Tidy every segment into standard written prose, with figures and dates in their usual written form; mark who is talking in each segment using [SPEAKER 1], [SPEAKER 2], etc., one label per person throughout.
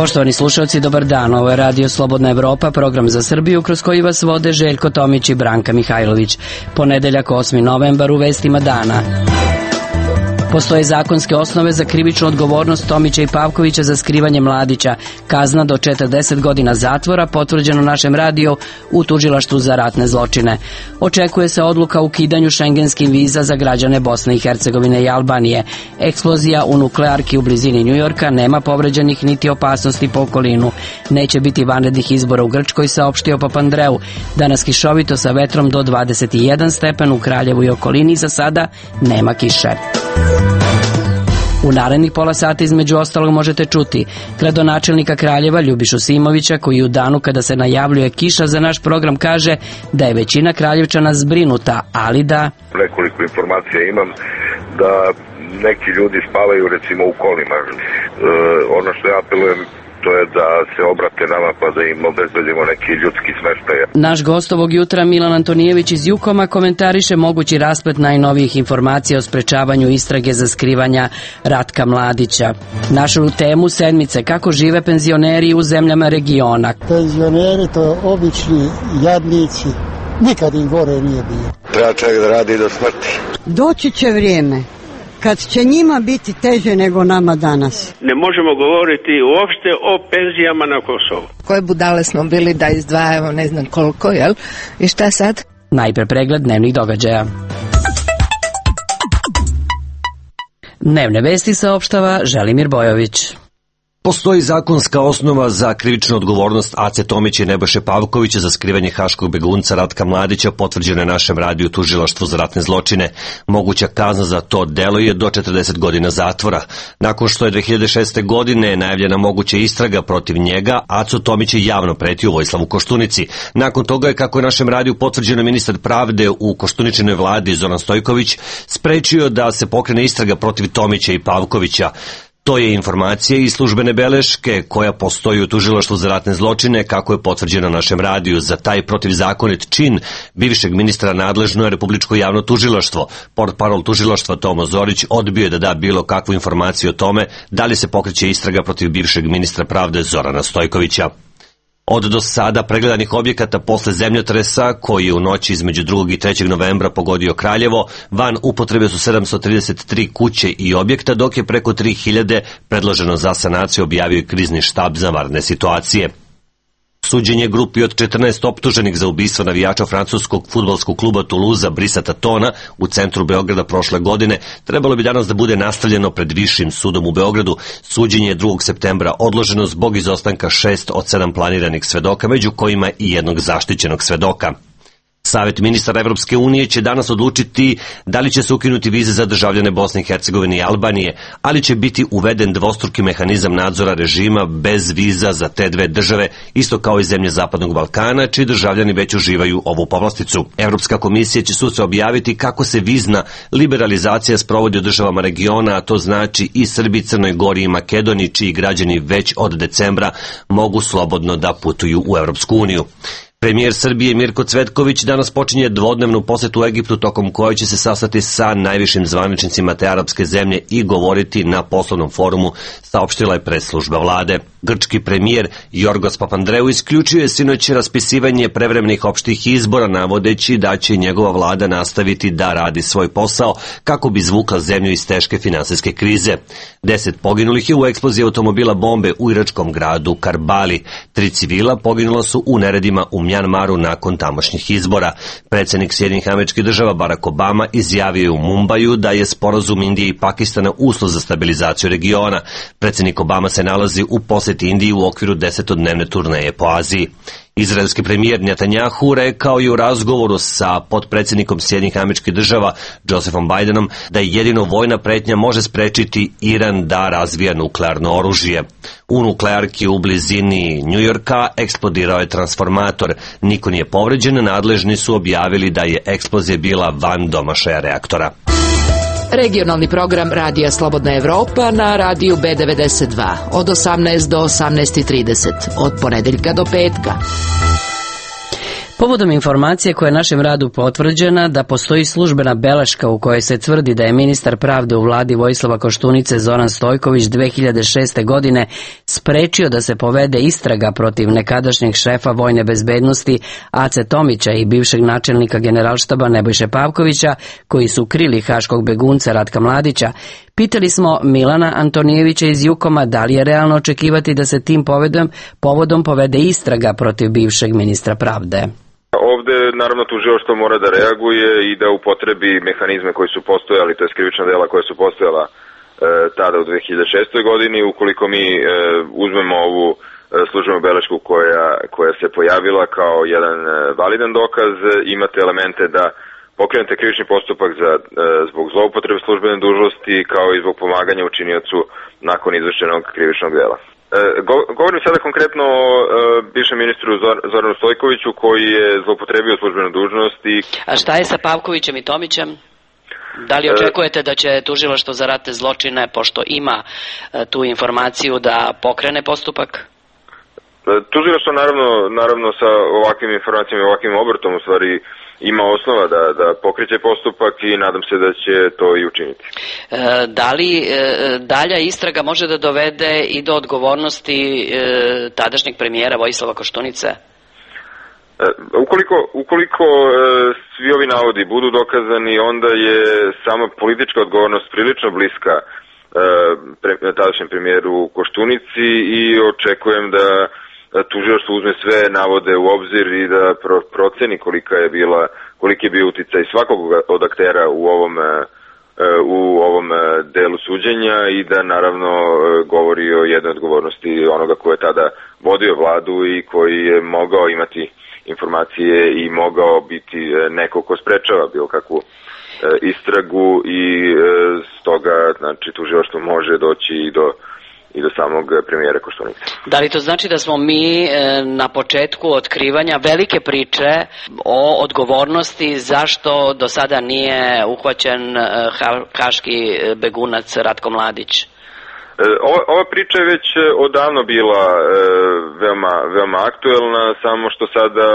[SPEAKER 1] Poštovani slušalci, dobar dan. Ovo je Radio Slobodna Evropa, program za Srbiju kroz koji vas vode Željko Tomić i Branka Mihajlović. Ponedeljak 8. novembar u vestima dana. Postoje zakonske osnove za krivičnu odgovornost Tomića i Pavkovića za skrivanje mladića. Kazna do 40 godina zatvora, potvrđeno našem radiju u Tužilaštvu za ratne zločine. Očekuje se odluka o ukidanju šengenskih viza za građane Bosne i Hercegovine i Albanije. Eksplozija u nuklearki u blizini Njujorka, nema povređenih niti opasnosti po okolinu. Neće biti vanrednih izbora u Grčkoj, saopštio Papandreou. Danas kišovito sa vetrom do 21 stepen u Kraljevu i okolini, za sada nema kiše. U narednih pola sata između ostalog možete čuti gradonačelnika Kraljeva Ljubišu Simovića, koji u danu kada se najavljuje kiša za naš program kaže da je većina Kraljevčana zbrinuta, ali da...
[SPEAKER 2] Nekoliko informacija imam da neki ljudi spavaju recimo u kolima. Ono što ja apelujem, to je da se obrate nama pa da im obezbedimo neki ljudski smeštaj.
[SPEAKER 1] Naš gost ovog jutra Milan Antonijević iz Jukoma komentariše mogući rasplet najnovijih informacija o sprečavanju istrage za skrivanja Ratka Mladića. Našu temu sedmice, kako žive penzioneri u zemljama regiona.
[SPEAKER 3] Penzioneri to obični jadnici, nikad im gore nije bilo.
[SPEAKER 2] Treba čovjek da radi do smrti.
[SPEAKER 4] Doći će vrijeme kad će njima biti teže nego nama danas.
[SPEAKER 5] Ne možemo govoriti uopšte o penzijama na Kosovu.
[SPEAKER 6] Koje budale smo bili da izdvajamo ne znam koliko, jel? I šta sad?
[SPEAKER 1] Najpre pregled dnevnih događaja. Dnevne vesti saopštava Želimir Bojović.
[SPEAKER 7] Postoji zakonska osnova za krivičnu odgovornost Ace Tomića i Nebojše Pavkovića za skrivanje haškog begunca Ratka Mladića, potvrđeno je našem radiju Tužilaštvu za ratne zločine. Moguća kazna za to delo je do 40 godina zatvora. Nakon što je 2006. godine najavljena moguća istraga protiv njega, Aco Tomić je javno pretio Vojislavu Koštunici. Nakon toga je, kako je našem radiju potvrđeno, ministar pravde u Koštuničinoj vladi Zoran Stojković sprečio da se pokrene istraga protiv Tomića i Pavkovića. To je informacija iz službene beleške koja postoji u Tužilaštvu za ratne zločine, kako je potvrđeno našem radiju. Za taj protivzakonit čin bivšeg ministra nadležno je Republičko javno tužilaštvo. Portparol tužilaštva Tomo Zorić odbio je da da bilo kakvu informaciju o tome da li se pokreće istraga protiv bivšeg ministra pravde Zorana Stojkovića. Od do sada pregledanih objekata posle zemljotresa, koji je u noći između 2. i 3. novembra pogodio Kraljevo, van upotrebe su 733 kuće i objekta, dok je preko 3000 predloženo za sanaciju, objavio i krizni štab za vanredne situacije. Suđenje grupi od 14 optuženih za ubistvo navijača francuskog fudbalskog kluba Toulouse Brisa Tatona u centru Beograda prošle godine trebalo bi danas da bude nastavljeno pred Višim sudom u Beogradu. Suđenje je 2. septembra odloženo zbog izostanka 6 od 7 planiranih svedoka, među kojima i jednog zaštićenog svedoka. Savet ministara Evropske unije će danas odlučiti da li će se ukinuti vize za državljane Bosne i Hercegovine i Albanije, ali će biti uveden dvostruki mehanizam nadzora režima bez viza za te dve države, isto kao i zemlje Zapadnog Balkana, čiji državljani već uživaju ovu povlasticu. Evropska komisija će sutra objaviti kako se vizna liberalizacija sprovodi u državama regiona, a to znači i Srbiji, Crnoj Gori i Makedoniji, čiji građani već od decembra mogu slobodno da putuju u Evropsku uniju. Premijer Srbije Mirko Cvetković danas počinje dvodnevnu posetu u Egiptu, tokom koje će se sastati sa najvišim zvaničnicima te arapske zemlje i govoriti na poslovnom forumu, saopštila je presslužba vlade. Grčki premijer Jorgos Papandreou isključio je sinoć raspisivanje prevremenih opštih izbora, navodeći da će njegova vlada nastaviti da radi svoj posao kako bi izvukla zemlju iz teške finansijske krize. 10 poginulih je u eksploziji automobila bombe u iračkom gradu Karbali. 3 civila poginula su u neredima u Mjanmaru nakon tamošnjih izbora. Predsjednik Sjedinjenih Američkih Država Barack Obama izjavio je u Mumbaju da je sporazum Indije i Pakistana uslov za stabilizaciju regiona. Predsjednik Obama se nalazi u poseti Indiji u okviru 10-dnevne turneje po Aziji. Izraelski premijer Netanjahu rekao je u razgovoru sa potpredsjednikom Sjedinjenih Američkih Država Josephom Bidenom da jedino vojna pretnja može sprečiti Iran da razvija nuklearno oružje. U nuklearki u blizini Njujorka eksplodirao je transformator. Niko nije povređen, nadležni su objavili da je eksplozija bila van domašaja reaktora.
[SPEAKER 8] Regionalni program Radija Slobodna Evropa na radiju B92 od 18 do 18:30, od ponedeljka do petka.
[SPEAKER 1] Povodom informacije koja je našem radu potvrđena da postoji službena beleška u kojoj se tvrdi da je ministar pravde u vladi Vojislava Koštunice Zoran Stojković 2006. godine sprečio da se povede istraga protiv nekadašnjeg šefa vojne bezbednosti Ace Tomića i bivšeg načelnika generalštaba Nebojše Pavkovića, koji su krili haškog begunca Ratka Mladića, pitali smo Milana Antonijevića iz Jukoma da li je realno očekivati da se tim povodom povede istraga protiv bivšeg ministra pravde.
[SPEAKER 9] Ovde, naravno, tužilaštvo mora da reaguje i da upotrebi mehanizme koji su postojali, to je krivična dela koja su postojala tada u 2006. godini. Ukoliko mi uzmemo ovu službenu belešku koja se pojavila kao jedan validan dokaz, imate elemente da pokrenete krivični postupak zbog zloupotrebe službene dužnosti, kao i zbog pomaganja učiniocu nakon izvršenog krivičnog dela. Govorim sada konkretno o bivšem ministru Zoranu Stojkoviću, koji je zloupotrebio službenu dužnost.
[SPEAKER 1] A šta je sa Pavkovićem i Tomićem? Da li očekujete da će tužilaštvo za ratne zločine, pošto ima tu informaciju, da pokrene postupak?
[SPEAKER 9] Tužilaštvo naravno sa ovakvim informacijama i ovakvim obrtom u stvari ima osnova da pokreće postupak i nadam se da će to i učiniti.
[SPEAKER 1] Da li dalja istraga može da dovede i do odgovornosti tadašnjeg premijera Vojislava Koštunice?
[SPEAKER 9] Ukoliko svi ovi navodi budu dokazani, onda je sama politička odgovornost prilično bliska tadašnjem premijeru Koštunici i očekujem da tužilaštvo uzme sve navode u obzir i da proceni koliki je bio uticaj svakog od aktera u ovom delu suđenja i da naravno govori o jednoj odgovornosti onoga ko je tada vodio vladu i koji je mogao imati informacije i mogao biti neko ko sprečava bilo kakvu istragu i stoga znači tužilaštvo može doći i do samog premijera Koštunice.
[SPEAKER 1] Da li to znači da smo mi na početku otkrivanja velike priče o odgovornosti zašto do sada nije uhvaćen haški begunac Ratko Mladić?
[SPEAKER 9] Ova priča je već odavno bila veoma aktuelna, samo što sada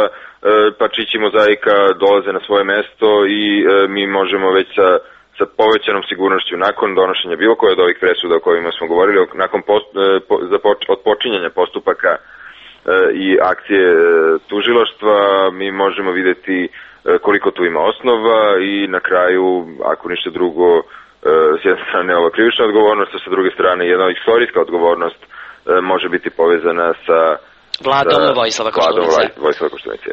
[SPEAKER 9] parčići mozaika dolaze na svoje mesto i mi možemo već sa povećanom sigurnošću nakon donošenja bilo koje od ovih presuda o kojima smo govorili, nakon od počinjanja postupaka i akcije tužilaštva, mi možemo videti koliko tu ima osnova i na kraju, ako ništa drugo, s jedne strane ova krivična odgovornost, a sa druge strane jedna istorijska odgovornost može biti povezana sa
[SPEAKER 1] Vladom Vojislava Koštunice.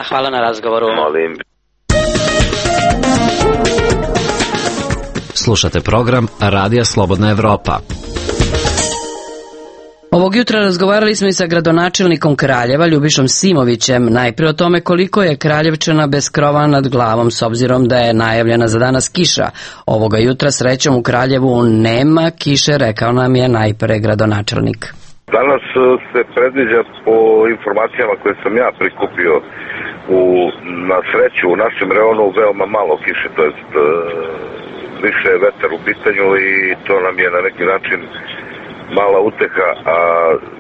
[SPEAKER 1] Hvala na razgovoru.
[SPEAKER 9] Molim.
[SPEAKER 10] Slušate program Radija Slobodna Evropa.
[SPEAKER 1] Ovog jutra razgovarali smo i sa gradonačelnikom Kraljeva, Ljubišom Simovićem, najprije o tome koliko je Kraljevčana bez krova nad glavom, s obzirom da je najavljena za danas kiša. Ovoga jutra srećom u Kraljevu nema kiše, rekao nam je najpre gradonačelnik.
[SPEAKER 2] Danas se predviđa po informacijama koje sam ja prikupio na sreću u našem reonu veoma malo kiše, to jest više je vetar u pitanju i to nam je na neki način mala uteha, a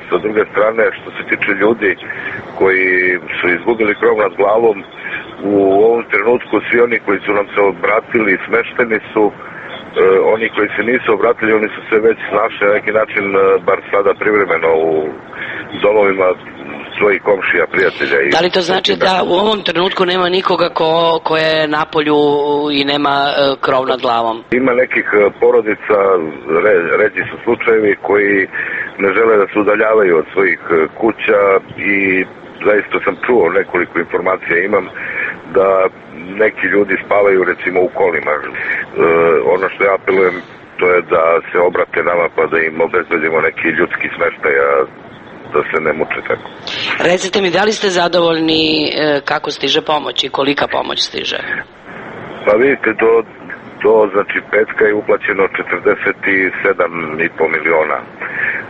[SPEAKER 2] sa druge strane što se tiče ljudi koji su izgubili krov nad glavom, u ovom trenutku svi oni koji su nam se obratili smešteni su, oni koji se nisu obratili, oni su se već našli na neki način, bar sada privremeno u domovima svojih komšija, prijatelja.
[SPEAKER 1] Da li to znači da u ovom trenutku nema nikoga ko je na polju i nema krov nad glavom?
[SPEAKER 2] Ima nekih porodica, ređi su slučajevi koji ne žele da se udaljavaju od svojih kuća i zaista sam čuo nekoliko informacija imam da neki ljudi spavaju recimo u kolima. Ono što ja apelujem to je da se obrate nama pa da im obezbedimo neki ljudski smeštaj, da se ne muče tako.
[SPEAKER 1] Recite mi, da li ste zadovoljni kako stiže pomoć i kolika pomoć stiže?
[SPEAKER 2] Pa vidite, znači petka je uplaćeno 47,5 miliona.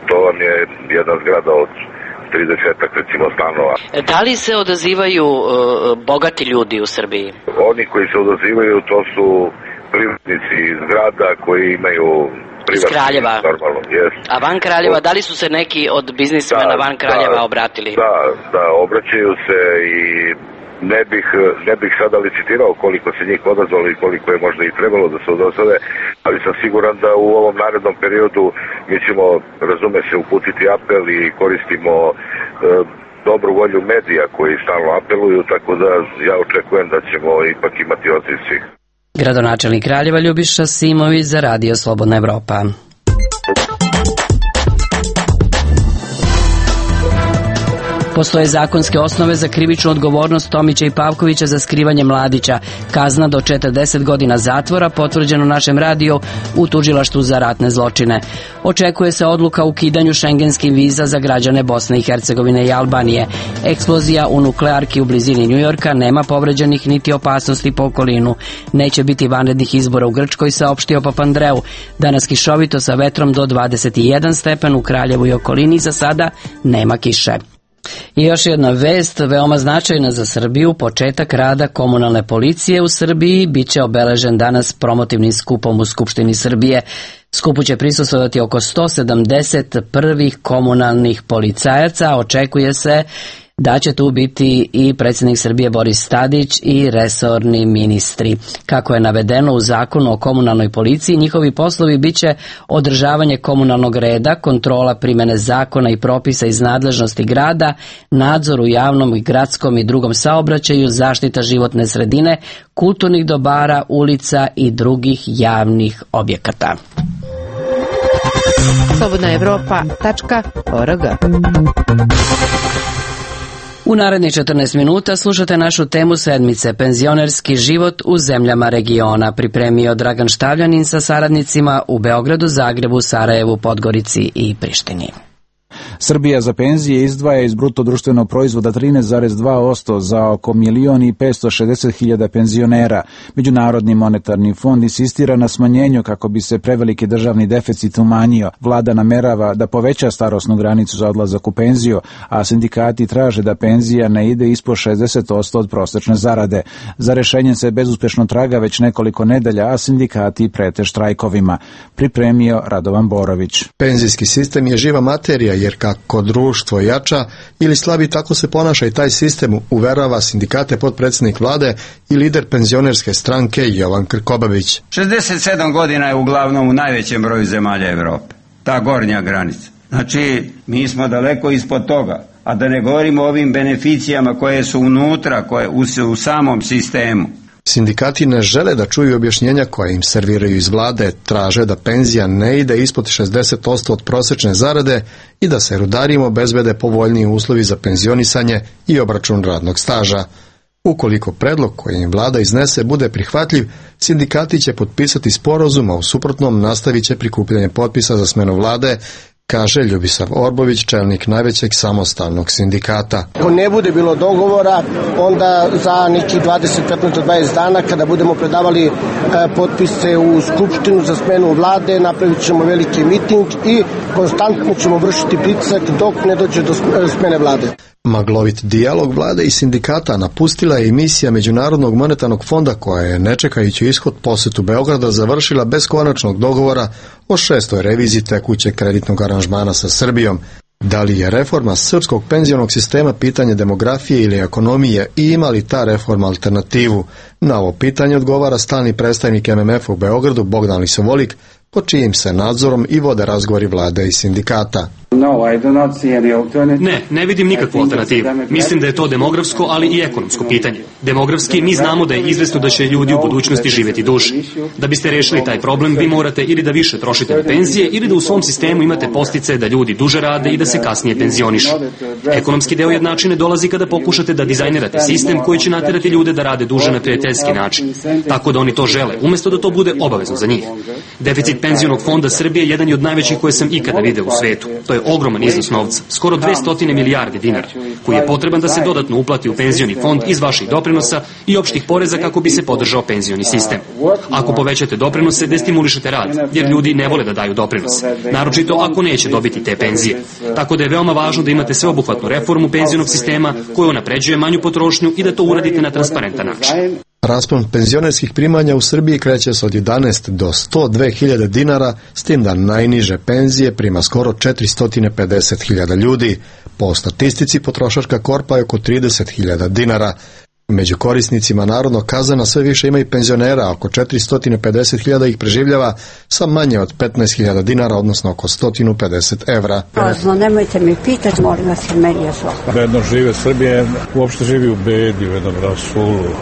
[SPEAKER 2] To vam je jedna zgrada od 30 recimo stanova.
[SPEAKER 1] Da li se odazivaju bogati ljudi u Srbiji?
[SPEAKER 2] Oni koji se odazivaju to su privatnici iz grada koji imaju
[SPEAKER 1] iz Kraljeva.
[SPEAKER 2] Normalno, yes.
[SPEAKER 1] A van Kraljeva, da li su se neki od biznismena van Kraljeva obratili?
[SPEAKER 2] Da, obraćaju se i ne bih sada licitirao koliko se njih odazvalo i koliko je možda i trebalo da se odazove, ali sam siguran da u ovom narednom periodu mi ćemo, razume se, uputiti apel i koristimo dobru volju medija koji stalno apeluju, tako da ja očekujem da ćemo ipak imati odziv svih.
[SPEAKER 1] Gradonačelnik Kraljeva Ljubiša Simović za Radio Slobodna Evropa. Postoje zakonske osnove za krivičnu odgovornost Tomića i Pavkovića za skrivanje mladića. Kazna do 40 godina zatvora, potvrđeno našem radiju u tužilaštvu za ratne zločine. Očekuje se odluka o ukidanju šengenskih viza za građane Bosne i Hercegovine i Albanije. Eksplozija u nuklearki u blizini Njujorka, nema povređenih niti opasnosti po okolinu. Neće biti vanrednih izbora u Grčkoj, saopštio Papandreou. Danas kišovito sa vetrom do 21 stepen u Kraljevu i okolini, za sada nema kiše. I još jedna vest, veoma značajna za Srbiju, početak rada komunalne policije u Srbiji biće obeležen danas promotivnim skupom u Skupštini Srbije. Skupu će prisustvovati oko 170 prvih komunalnih policajaca, očekuje se da će tu biti i predsjednik Srbije Boris Tadić i resorni ministri. Kako je navedeno u zakonu o komunalnoj policiji, njihovi poslovi biće održavanje komunalnog reda, kontrola primjene zakona i propisa iz nadležnosti grada, nadzor u javnom i gradskom i drugom saobraćaju, zaštita životne sredine, kulturnih dobara, ulica i drugih javnih objekata.
[SPEAKER 6] slobodnaevropa.org.
[SPEAKER 1] U narednih 14 minuta slušate našu temu sedmice, penzionerski život u zemljama regiona, pripremio Dragan Štavljanin sa saradnicima u Beogradu, Zagrebu, Sarajevu, Podgorici i Prištini.
[SPEAKER 11] Srbija za penzije izdvaja iz bruto društvenog proizvoda 13,2% za oko 1.560.000 penzionera. Međunarodni monetarni fond insistira na smanjenju kako bi se preveliki državni deficit umanjio. Vlada namerava da poveća starosnu granicu za odlazak u penziju, a sindikati traže da penzija ne ide ispod 60% od prosečne zarade. Za rešenjem se bezuspešno traga već nekoliko nedelja, a sindikati prete štrajkovima. Pripremio Radovan Borović.
[SPEAKER 12] Penzijski sistem je živa materija, jer kako društvo jača ili slabi, tako se ponaša i taj sistem, uverava sindikate potpredsjednik vlade i lider penzionerske stranke Jovan Krkobabić.
[SPEAKER 13] 67 godina je uglavnom u najvećem broju zemalja Evrope, ta gornja granica. Znači, mi smo daleko ispod toga, a da ne govorimo o ovim beneficijama koje su unutra, koje u samom sistemu.
[SPEAKER 12] Sindikati ne žele da čuju objašnjenja koje im serviraju iz vlade, traže da penzija ne ide ispod 60% od prosečne zarade i da se rudarima obezbede povoljniji uslovi za penzionisanje i obračun radnog staža. Ukoliko predlog koji im vlada iznese bude prihvatljiv, sindikati će potpisati sporazum, a u suprotnom nastavit će prikupljanje potpisa za smenu vlade, kaže Ljubisav Orbović, čelnik najvećeg samostalnog sindikata.
[SPEAKER 14] Ako ne bude bilo dogovora, onda za neki 15 do 20 dana, kada budemo predavali potpise u Skupštinu za smenu vlade, napravit ćemo veliki miting i konstantno ćemo vršiti pritisak dok ne dođe do smene vlade.
[SPEAKER 12] Maglovit dijalog vlade i sindikata napustila je emisija Međunarodnog monetarnog fonda, koja je, ne čekajući ishod posetu Beograda, završila bez konačnog dogovora o 6. reviziji tekućeg kreditnog aranžmana sa Srbijom. Da li je reforma srpskog penzionog sistema pitanje demografije ili ekonomije i ima li ta reforma alternativu? Na ovo pitanje odgovara stalni predstavnik MMF-a u Beogradu Bogdan Lisovolik, pod čijim se nadzorom i vode razgovori vlade i sindikata.
[SPEAKER 15] Ne vidim nikakvu alternativu. Mislim da je to demografsko, ali i ekonomsko pitanje. Demografski, mi znamo da je izvesno da će ljudi u budućnosti živjeti duže. Da biste rešili taj problem, vi morate ili da više trošite na penzije, ili da u svom sistemu imate postice da ljudi duže rade i da se kasnije penzionišu. Ekonomski deo jednačine dolazi kada pokušate da dizajnirate sistem koji će naterati ljude da rade duže na prijateljski način, tako da oni to žele, umjesto da to bude obavezno za njih. Deficit penzionog fonda Srbije jedan je od najvećih koje sam ikada video u svetu. To je ogroman iznos novca, skoro 200 milijardi dinara, koji je potreban da se dodatno uplati u penzioni fond iz vaših doprinosa i opštih poreza kako bi se podržao penzioni sistem. Ako povećate doprinose, destimulišete rad, jer ljudi ne vole da daju doprinose, naročito ako neće dobiti te penzije. Tako da je veoma važno da imate sveobuhvatnu reformu penzionog sistema koja unapređuje manju potrošnju i da to uradite na transparentan način.
[SPEAKER 12] Raspon penzionerskih primanja u Srbiji kreće se od 11 do 102.000 dinara, s tim da najniže penzije prima skoro 450.000 ljudi. Po statistici potrošačka korpa je oko 30.000 dinara. Među korisnicima narodnog kazana sve više ima i penzionera, oko 450.000 ih preživljava sa manje od 15.000 dinara, odnosno oko 150 evra.
[SPEAKER 4] Prazno, nemojte mi pitati, molim vas, jer meni je zlo.
[SPEAKER 16] Bedno žive Srbije, uopšte živi u bedi, u jednom rasulu.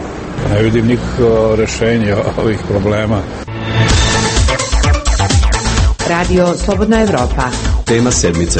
[SPEAKER 16] Ne vidim nikakvo rešenje ovih problema.
[SPEAKER 8] Radio Slobodna Evropa.
[SPEAKER 10] Tema sedmice.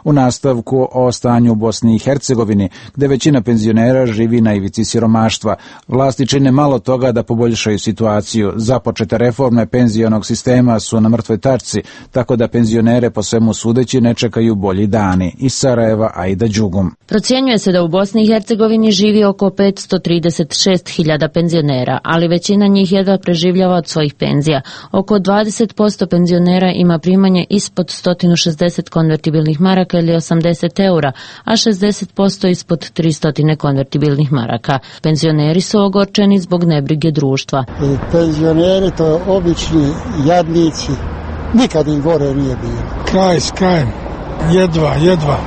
[SPEAKER 11] U nastavku o stanju u Bosni i Hercegovini, gde većina penzionera živi na ivici siromaštva. Vlasti čine malo toga da poboljšaju situaciju. Započete reforme penzionog sistema su na mrtvoj tačci, tako da penzionere po svemu sudeći ne čekaju bolji dani. Iz Sarajeva, Aida Đugum.
[SPEAKER 17] Procjenjuje se da u Bosni i Hercegovini živi oko 536.000 penzionera, ali većina njih jedva preživljava od svojih penzija. Oko 20% penzionera ima primanje ispod 160 konvertibilnih maraka ili 80 eura, a 60% ispod 300 konvertibilnih maraka. Penzioneri su ogorčeni zbog nebrige društva.
[SPEAKER 3] Penzioneri to obični jadnici, nikad im gore nije bilo.
[SPEAKER 18] Kraj s krajem, jedva.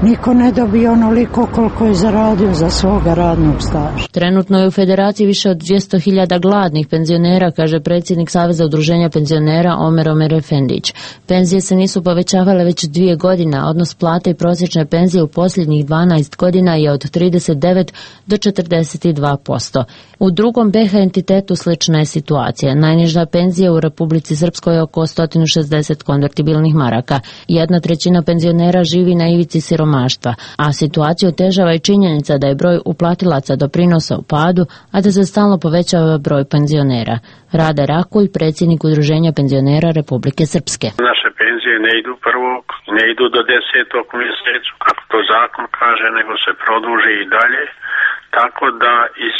[SPEAKER 4] Niko ne dobije onoliko koliko je zaradio za svoga radnog staža.
[SPEAKER 17] Trenutno je u Federaciji više od 200.000 gladnih penzionera, kaže predsjednik Saveza udruženja penzionera Omer Efendić. Penzije se nisu povećavale već 2 godine, odnos plate i prosječne penzije u posljednjih 12 godina je od 39 do 42%. U drugom BiH entitetu slična je situacija. Najniža penzija u Republici Srpskoj je oko 160 konvertibilnih maraka. 1/3 penzionera živi na ivici siromaštva, a situaciju otežava i činjenica da je broj uplatilaca doprinosa u padu, a da se stalno povećava broj penzionera. Rade Rakuj, predsjednik Udruženja penzionera Republike Srpske.
[SPEAKER 5] Naše penzije ne idu prvog, ne idu do 10. mjesecu, kako to zakon kaže, nego se produži i dalje, tako da iz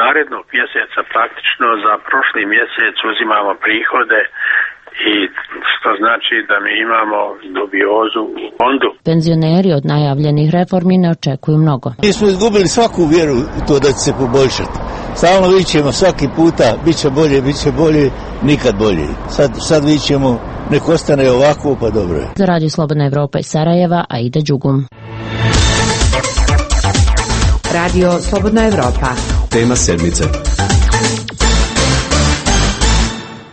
[SPEAKER 5] narednog mjeseca praktično za prošli mjesec uzimamo prihode, i što znači da mi imamo dubiozu u fondu.
[SPEAKER 17] Penzioneri od najavljenih reformi ne očekuju mnogo.
[SPEAKER 19] Mi smo izgubili svaku vjeru u to da će se poboljšati. Stalno vićemo svaki puta, bit će bolje, nikad bolje. Sad vićemo, nek ostane ovako, pa dobro je.
[SPEAKER 17] Za Radio Slobodna Evropa iz Sarajeva, Aida Đugum.
[SPEAKER 8] Radio Slobodna Evropa.
[SPEAKER 10] Tema sedmice.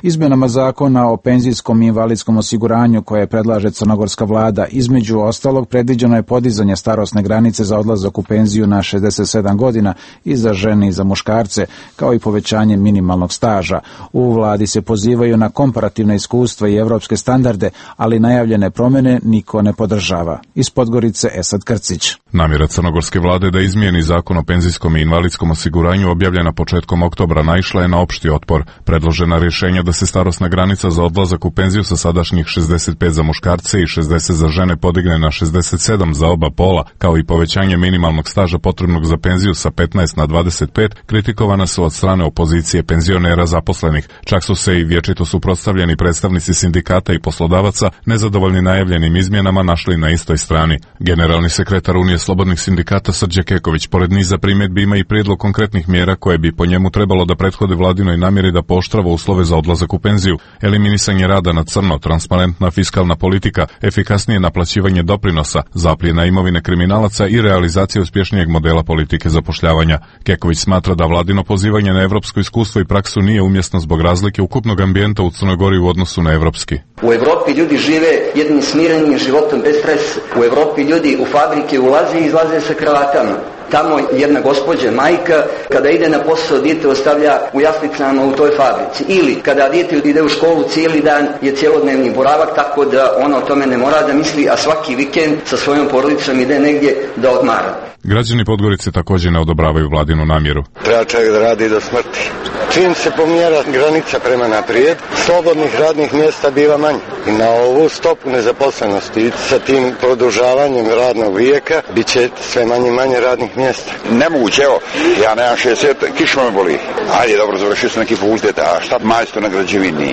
[SPEAKER 11] Izmjenama zakona o penzijskom i invalidskom osiguranju koje predlaže crnogorska vlada, između ostalog predviđeno je podizanje starosne granice za odlazak u penziju na 67 godina i za žene i za muškarce, kao i povećanje minimalnog staža. U vladi se pozivaju na komparativna iskustva i evropske standarde, ali najavljene promjene niko ne podržava. Iz Podgorice Esad Krcić.
[SPEAKER 20] Namjera crnogorske vlade da izmijeni zakon o penzijskom i invalidskom osiguranju objavljena početkom oktobra naišla je na opšti otpor. Predložena rješenja da se starosna granica za odlazak u penziju sa sadašnjih 65 za muškarce i 60 za žene podigne na 67 za oba pola, kao i povećanje minimalnog staža potrebnog za penziju sa 15 na 25, kritikovana su od strane opozicije penzionera zaposlenih. Čak su se i vječito suprotstavljeni predstavnici sindikata i poslodavaca, nezadovoljni najavljenim izmjenama, našli na istoj strani. Generalni sekretar Unije slobodnih sindikata Srđe Keković, pored niza primjedbi, ima i prijedlog konkretnih mjera koje bi po njemu trebalo da prethode vladinoj namjeri da pooštrava uslove za odlazak u penziju, eliminisanje rada na crno, transparentna fiskalna politika, efikasnije naplaćivanje doprinosa, zapljena imovine kriminalaca i realizacija uspješnijeg modela politike zapošljavanja. Keković smatra da vladino pozivanje na evropsko iskustvo i praksu nije umjesno zbog razlike ukupnog ambijenta u Crnoj Gori u odnosu na evropski.
[SPEAKER 21] U Evropi ljudi žive jednim smirenim životom bez stresa. U Evropi ljudi u fabrike ulaze i izlaze sa kravatama. Tamo jedna gospođa, majka, kada ide na posao, dijete ostavlja u jaslicama u toj fabrici. Ili kada dijete ide u školu, cijeli dan je cjelodnevni boravak, tako da ona o tome ne mora da misli, a svaki vikend sa svojom porodicom ide negdje da odmara.
[SPEAKER 20] Građani Podgorice također ne odobravaju vladinu namjeru.
[SPEAKER 22] Treba čovjek da radi do smrti. Čim se pomjera granica prema naprijed, slobodnih radnih mjesta biva manje. I na ovu stopu nezaposlenosti sa tim produžavanjem radnog vijeka bit će sve manje radnih mjesta.
[SPEAKER 23] Nemoguće, evo, ja nemam 60, kišma me boli. Ajde, dobro, završio sam neki fakultet, a šta majstor na građevini,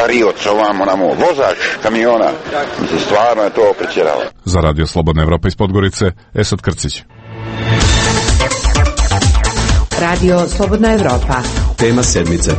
[SPEAKER 23] varioc, ovamo, vozač kamiona. Mislim, stvarno je to pretjeralo.
[SPEAKER 20] Za Radio Slobodna Evropa iz Podgorice, Esad Krcić.
[SPEAKER 8] Radio Slobodna Evropa.
[SPEAKER 10] Tema sedmice.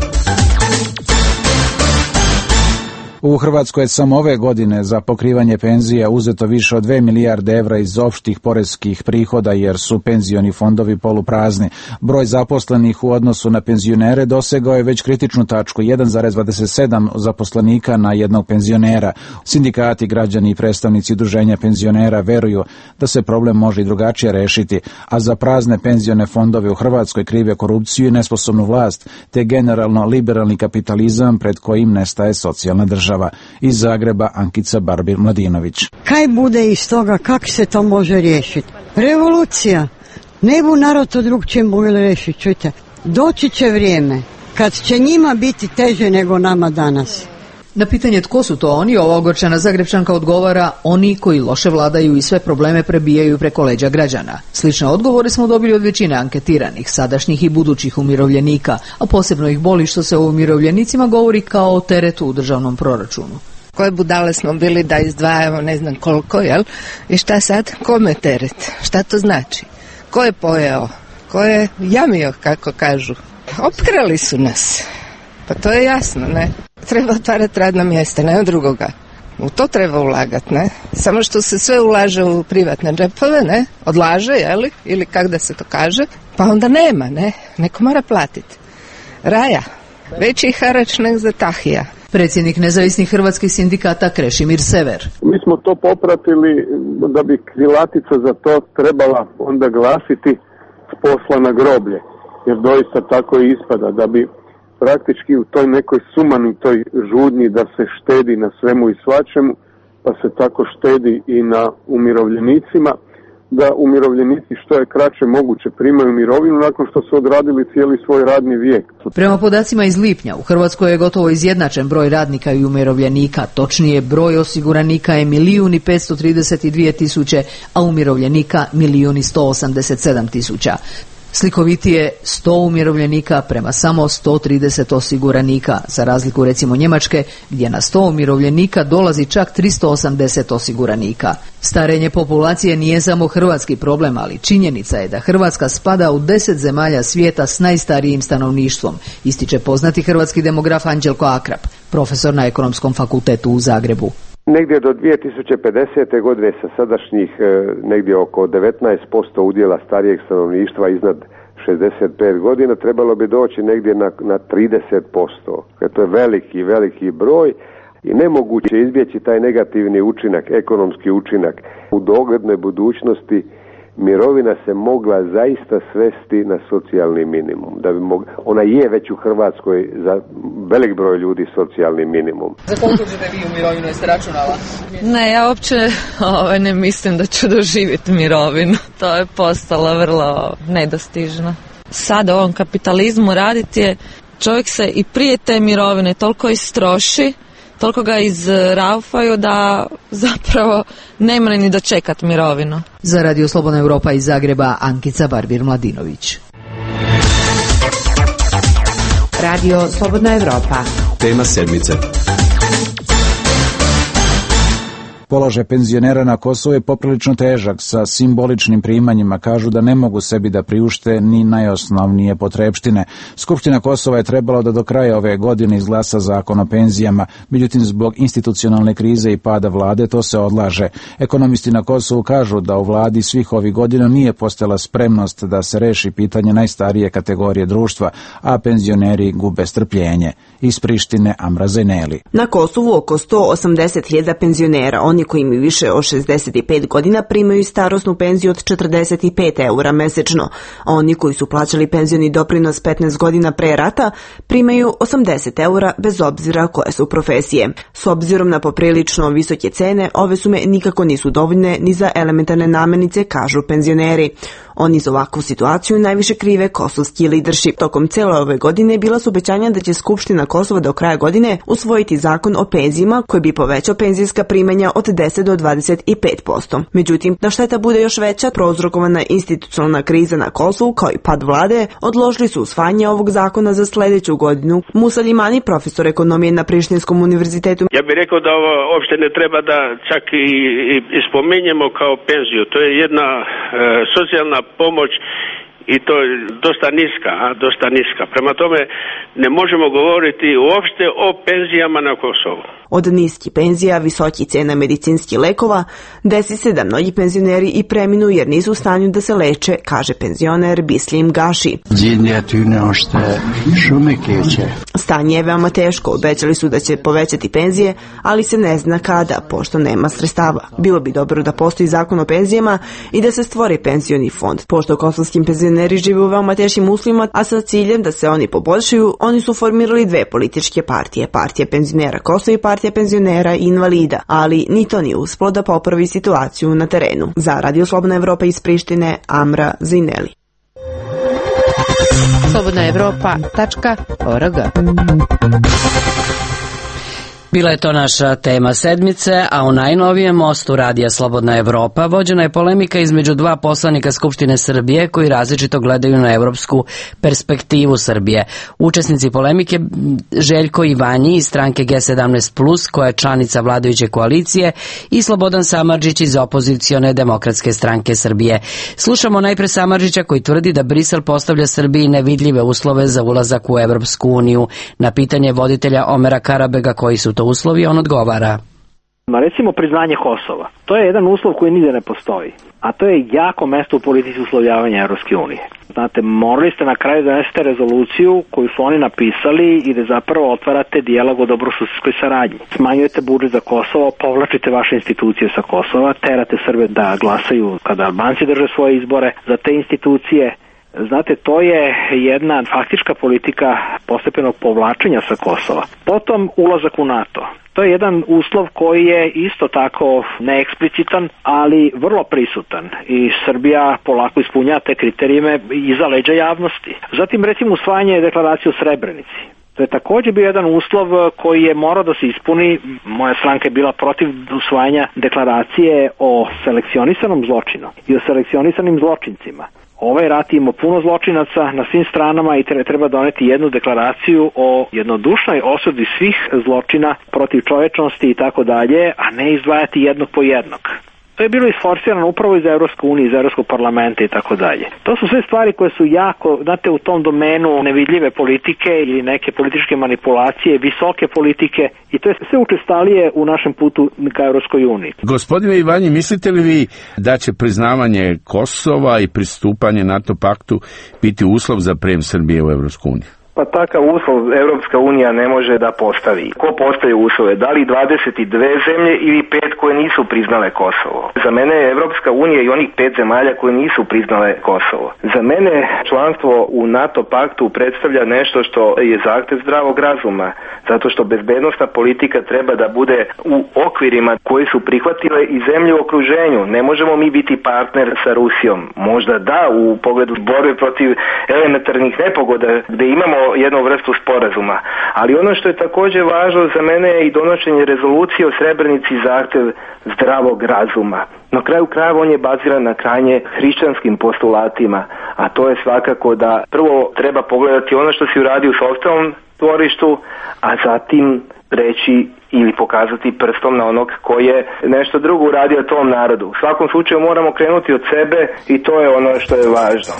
[SPEAKER 11] U Hrvatskoj je samo ove godine za pokrivanje penzija uzeto više od 2 milijarde evra iz opštih poreskih prihoda jer su penzioni fondovi poluprazni. Broj zaposlenih u odnosu na penzionere dosegao je već kritičnu tačku 1,27 zaposlenika na jednog penzionera. Sindikati, građani i predstavnici udruženja penzionera veruju da se problem može i drugačije rešiti, a za prazne penzione fondove u Hrvatskoj krive korupciju i nesposobnu vlast, te generalno liberalni kapitalizam pred kojim nestaje socijalna država. Iz Zagreba Ankica Barbir-Mladinović.
[SPEAKER 4] Kaj bude iz toga, kako se to može riješiti? Revolucija. Ne bu narod to drugčije mogli riješiti, čujte. Doći će vrijeme kad će njima biti teže nego nama danas.
[SPEAKER 2] Na pitanje tko su to oni, ova ogorčena Zagrebčanka odgovara: oni koji loše vladaju i sve probleme prebijaju preko leđa građana. Slične odgovore smo dobili od većine anketiranih, sadašnjih i budućih umirovljenika, a posebno ih boli što se o umirovljenicima govori kao o teretu u državnom proračunu.
[SPEAKER 6] Koje budale smo bili da izdvajamo ne znam koliko, jel? I šta sad? Kome teret? Šta to znači? Ko je pojeo? Ko je jamio, kako kažu? Opkrali su nas. Pa to je jasno, ne? Treba otvarati radna mjesta, nema drugoga. U to treba ulagati, ne? Samo što se sve ulaže u privatne džepove, ne? Odlaže, jeli? Ili kak da se to kaže? Pa onda nema, ne? Neko mora platiti. Raja. Veći harač nek za Tahija.
[SPEAKER 2] Predsjednik nezavisnih hrvatskih sindikata Krešimir Sever.
[SPEAKER 7] Mi smo to popratili da bi krilatica za to trebala onda glasiti s posla na groblje. Jer doista tako i ispada da bi praktički u toj nekoj sumanitoj žudnji da se štedi na svemu i svačemu, pa se tako štedi i na umirovljenicima, da umirovljenici što je kraće moguće primaju mirovinu nakon što su odradili cijeli svoj radni vijek.
[SPEAKER 2] Prema podacima iz lipnja, u Hrvatskoj je gotovo izjednačen broj radnika i umirovljenika, točnije broj osiguranika je 1.532.000, a umirovljenika 1.187.000. Slikovitije 100 umirovljenika prema samo 130 osiguranika, za razliku recimo Njemačke gdje na 100 umirovljenika dolazi čak 380 osiguranika. Starenje populacije nije samo hrvatski problem, ali činjenica je da Hrvatska spada u 10 zemalja svijeta s najstarijim stanovništvom, ističe poznati hrvatski demograf Anđelko Akrap, profesor na Ekonomskom fakultetu u Zagrebu.
[SPEAKER 9] Negdje do 2050. godine sa sadašnjih negdje oko 19% udjela starijeg stanovništva iznad 65 godina trebalo bi doći negdje na 30%. To je veliki broj i nemoguće izbjeći taj negativni učinak, ekonomski učinak. U doglednoj budućnosti mirovina se mogla zaista svesti na socijalni minimum. Ona je već u Hrvatskoj za velik broj ljudi socijalni minimum.
[SPEAKER 2] Za koliko ćete vi u mirovinu, jeste računala?
[SPEAKER 24] Ne, ja uopće ne mislim da ću doživjeti mirovinu. To je postalo vrlo nedostižno. Sad u ovom kapitalizmu raditi je, čovjek se i prije te mirovine toliko istroši, toliko ga izraufaju da zapravo nema ni dočekat mirovinu.
[SPEAKER 2] Za Radio Slobodna Europa iz Zagreba Ankica Barbir-Mladinović.
[SPEAKER 25] Radio Slobodna Europa.
[SPEAKER 10] Tema sedmice.
[SPEAKER 11] Položaj penzionera na Kosovu je poprilično težak, sa simboličnim primanjima. Kažu da ne mogu sebi da priušte ni najosnovnije potrepštine. Skupština Kosova je trebala da do kraja ove godine izglasa zakon o penzijama, međutim zbog institucionalne krize i pada vlade to se odlaže. Ekonomisti na Kosovu kažu da u vladi svih ovih godina nije postojala spremnost da se reši pitanje najstarije kategorije društva, a penzioneri gube strpljenje. Iz Prištine Amra Zajneli.
[SPEAKER 25] Na Kosovu oko 180.000 penzionera. Oni koji imaju više od 65 godina primaju starosnu penziju od 45 eura mesečno. Oni koji su plaćali penzioni doprinos 15 godina pre rata primaju 80 eura bez obzira koje su profesije. S obzirom na poprilično visoke cene, ove sume nikako nisu dovoljne ni za elementarne namirnice, kažu penzioneri. Oni za ovakvu situaciju najviše krive kosovski leadership. Tokom cele ove godine bila su obećanja da će Skupština Kosova do kraja godine usvojiti zakon o penzijima koji bi povećao penzijska primanja od 10 do 25%. Međutim, da šteta bude još veća, prouzrokovana institucionalna kriza na Kosovu kao i pad vlade, odložili su usvajanje ovog zakona za sljedeću godinu. Musa Limani, profesor ekonomije na Prištinskom univerzitetu.
[SPEAKER 5] Ja bih rekao da ovo uopšte ne treba da čak i spominjemo kao penziju. To je jedna socijalna pomoć i to je dosta niska. Prema tome ne možemo govoriti uopšte o penzijama na Kosovu.
[SPEAKER 25] Od niskih penzija, visoki cena medicinskih lekova, desi se da mnogi penzioneri i preminu jer nisu u stanju da se leče, kaže penzioner Bislim Gaši. Stanje je veoma teško, obećali su da će povećati penzije, ali se ne zna kada, pošto nema sredstava. Bilo bi dobro da postoji zakon o penzijama i da se stvori penzioni fond. Pošto kosovskim penzioneri žive u veoma teškim uslovima, a sa ciljem da se oni poboljšaju, oni su formirali dve političke partije, Partija penzionera Kosova i Partija penzionera i invalida, ali ni to nije uspelo da popravi situaciju na terenu. Za Radio Slobodna Evropa iz Prištine, Amra Zineli.
[SPEAKER 8] slobodnaevropa.org.
[SPEAKER 1] Bila je to naša tema sedmice, a u najnovijem mostu Radija Slobodna Evropa vođena je polemika između dva poslanika Skupštine Srbije koji različito gledaju na evropsku perspektivu Srbije. Učesnici polemike Željko Ivanji iz stranke G17+, koja je članica vladajuće koalicije, i Slobodan Samardžić iz opozicione Demokratske stranke Srbije. Slušamo najpre Samardžića koji tvrdi da Brisel postavlja Srbiji nevidljive uslove za ulazak u Evropsku uniju. Na pitanje voditelja Omera Karabega koji su to uslovi, on odgovara.
[SPEAKER 12] Recimo priznanje Kosova. To je jedan uslov koji nigde ne postoji. A to je jako mesto u politici uslovljavanja Evropske unije. Znate, morali ste na kraju da donesete rezoluciju koju su oni napisali i da zapravo otvarate dijalog o dobrosusedskoj saradnji. Smanjujete budžet za Kosovo, povlačite vaše institucije sa Kosova, terate Srbe da glasaju kada Albanci drže svoje izbore za te institucije. Znate, to je jedna faktička politika postepenog povlačenja sa Kosova. Potom ulazak u NATO. To je jedan uslov koji je isto tako neeksplicitan, ali vrlo prisutan i Srbija polako ispunjava te kriterijume iza leđa javnosti. Zatim recimo usvajanje deklaracije o Srebrenici. To je također bio jedan uslov koji je morao da se ispuni. Moja stranka je bila protiv usvajanja deklaracije o selekcionisanom zločinu i o selekcionisanim zločincima. Ovaj rat ima puno zločinaca na svim stranama i treba doneti jednu deklaraciju o jednodušnoj osudi svih zločina protiv čovečnosti i tako dalje, a ne izdvajati jednog po jednog. To je bilo isforsirano upravo iz Evropske unije, iz Evropskog parlamenta i tako dalje. To su sve stvari koje su jako, znate, u tom domenu nevidljive politike ili neke političke manipulacije, visoke politike, i to je sve učestalije u našem putu ka Evropskoj uniji.
[SPEAKER 13] Gospodine Ivanji, mislite li vi da će priznavanje Kosova i pristupanje NATO paktu biti uslov za prijem Srbije u Evropsku uniju?
[SPEAKER 14] Pa takav uslov Evropska unija ne može da postavi. Ko postaje uslove? Da li 22 zemlje ili 5 koje nisu priznale Kosovo? Za mene je Evropska unija i onih 5 zemalja koje nisu priznale Kosovo. Za mene članstvo u NATO paktu predstavlja nešto što je zahtev zdravog razuma, zato što bezbednosna politika treba da bude u okvirima koji su prihvatile i zemlje u okruženju. Ne možemo mi biti partner sa Rusijom. Možda da, u pogledu borbe protiv elementarnih nepogoda gde imamo jednu vrstu sporazuma. Ali ono što je također važno za mene je i donošenje rezolucije o Srebrenici zahtev zdravog razuma. Na kraju krajeva on je baziran na krajnje hrišćanskim postulatima, a to je svakako da prvo treba pogledati ono što si uradio u sopstvenom dvorištu, a zatim reći ili pokazati prstom na onog koji je nešto drugo uradio tom narodu. U svakom slučaju moramo krenuti od sebe i to je ono što je važno.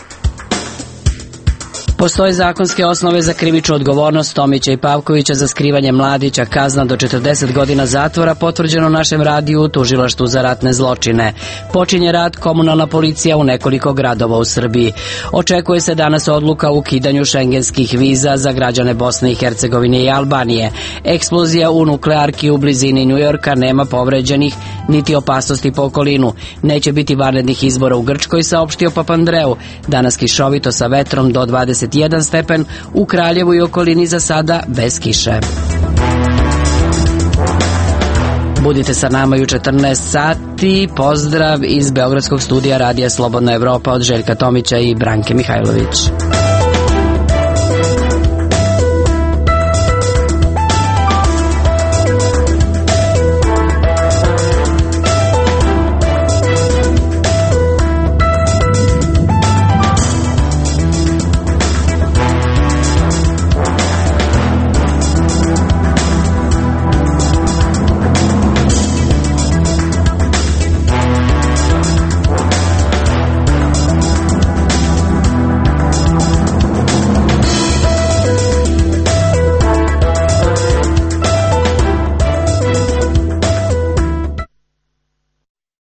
[SPEAKER 1] Postoje zakonske osnove za krivičnu odgovornost Tomića i Pavkovića za skrivanje mladića, kazna do 40 godina zatvora, potvrđeno našem radiju u Tužilaštvu za ratne zločine. Počinje rad komunalna policija u nekoliko gradova u Srbiji. Očekuje se danas odluka o ukidanju šengenskih viza za građane Bosne i Hercegovine i Albanije. Eksplozija u nuklearki u blizini Njujorka, nema povređenih niti opasnosti po okolinu. Neće biti vanrednih izbora u Grčkoj, saopštio Papandreou. Danas kišovito sa vetrom do 21 stepen, u Kraljevu i okolini za sada bez kiše. Budite sa nama i u 14 sati. Pozdrav iz Beogradskog studija Radija Slobodna Evropa od Željka Tomića i Branke Mihajlović.